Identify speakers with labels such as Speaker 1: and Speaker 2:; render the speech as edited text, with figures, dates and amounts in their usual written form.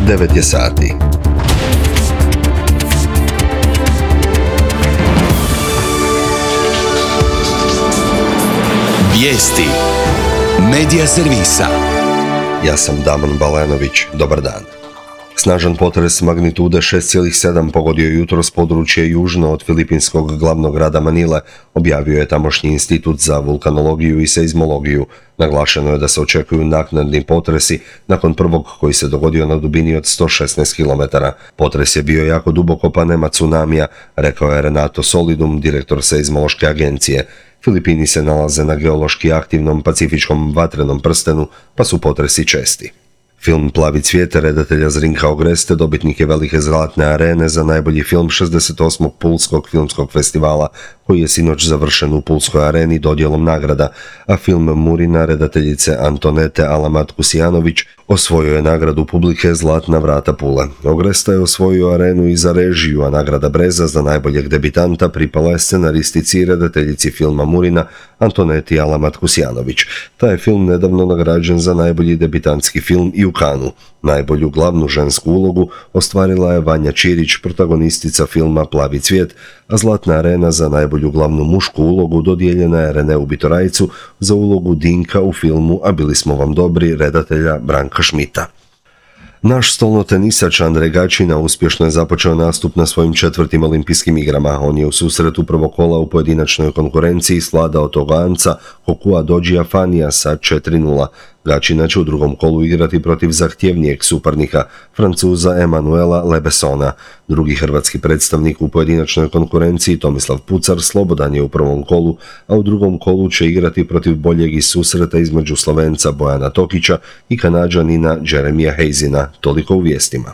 Speaker 1: 9 je sati.
Speaker 2: Vijesti Medija servisa.
Speaker 1: Ja sam Damon Balenović, dobar dan. Snažan potres magnitude 6,7 pogodio je jutros područje južno od filipinskog glavnog grada Manile, objavio je tamošnji institut za vulkanologiju i seizmologiju. Naglašeno je da se očekuju naknadni potresi nakon prvog koji se dogodio na dubini od 116 km. Potres je bio jako duboko pa nema tsunamija, rekao je Renato Solidum, direktor seizmološke agencije. Filipini se nalaze na geološki aktivnom pacifičkom vatrenom prstenu, pa su potresi česti. Film Plavi cvijet redatelja Zrinka Ogreste dobitnik je velike zlatne arene za najbolji film 68. Pulskog filmskog festivala, koji je sinoć završen u Pulskoj areni dodjelom nagrada, a film Murina redateljice Antonete Alamat-Kusijanović osvojio je nagradu publike Zlatna vrata Pule. Ogresta je osvojio arenu i za režiju, a nagrada Breza za najboljeg debitanta pripala je scenaristici i redateljici filma Murina Antoneti Alamat-Kusijanović. Taj je film nedavno nagrađen za najbolji debitantski film i u Kanu. Najbolju glavnu žensku ulogu ostvarila je Vanja Čirić, protagonistica filma Plavi cvijet, a Zlatna arena za najbolju glavnu mušku ulogu dodijeljena je Reneu Bitorajcu za ulogu Dinka u filmu A bili smo vam dobri redatelja Branka Šmita. Naš stolnotenisač Andrej Gačina uspješno je započeo nastup na svojim 4. olimpijskim igrama. On je u susretu prvog kola u pojedinačnoj konkurenciji svladao Togoanca Hokua Dodžija Fanija sa 4:0. Gačina će u drugom kolu igrati protiv zahtjevnijeg suparnika, Francuza Emanuela Lebesona. Drugi hrvatski predstavnik u pojedinačnoj konkurenciji, Tomislav Pucar, slobodan je u prvom kolu, a u drugom kolu će igrati protiv boljeg iz susreta između Slovenca Bojana Tokića i Kanađanina Jeremija Hazina. Toliko u vijestima.